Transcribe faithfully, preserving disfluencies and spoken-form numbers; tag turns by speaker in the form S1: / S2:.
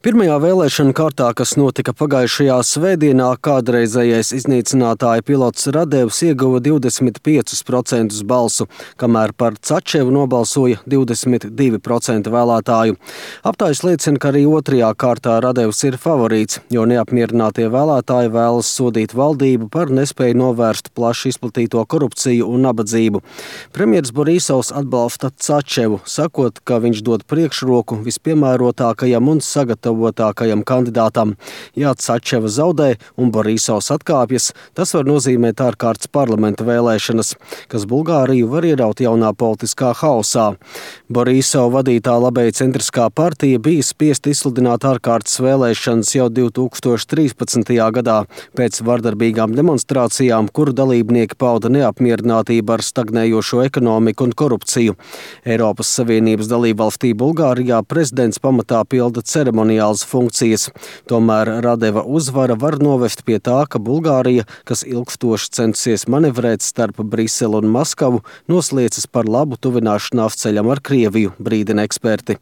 S1: Pirmajā vēlēšanu kārtā, kas notika pagājušajā svētdienā, kādreizējais iznīcinātāja pilots Radevs ieguva divdesmit piecus procentus balsu, kamēr par Cačevu nobalsoja divdesmit divi procenti vēlētāju. Aptājas liecina, ka arī otrajā kārtā Radevs ir favorīts, jo neapmierinātie vēlētāji vēlas sodīt valdību par nespēju novērst plaši izplatīto korupciju un nabadzību. Premjers Borisovs atbalsta Cačevu, sakot, ka viņš dod priekšroku vispiemērotākajam un sagatavotākajam kandidātam. Ja Cačeva zaudē un Borisovs atkāpjas, tas var nozīmēt ārkārtas parlamenta vēlēšanas, kas Bulgāriju var ieraut jaunā politiskā haosā. Borisova vadītā labēja centriskā partija bija spiest izsludināt ārkārtas vēlēšanas jau divi tūkstoši trīspadsmitajā gadā pēc vardarbīgām demonstrācijām, kuru dalībnieki pauda neapmierinātību ar stagnējošo ekonomiku un korupciju. Eiropas Savienības dalībvalstī Bulgārijā prezidents pamatā pilda ceremoniālas funkcijas. Tomēr Radeva uzvara var novest pie tā, ka Bulgārija, kas ilgstoši censies manevrēt starp Briseli un Maskavu, noslēdzas par labu tuvināšanās ceļam ar Krieviju, brīdina eksperti.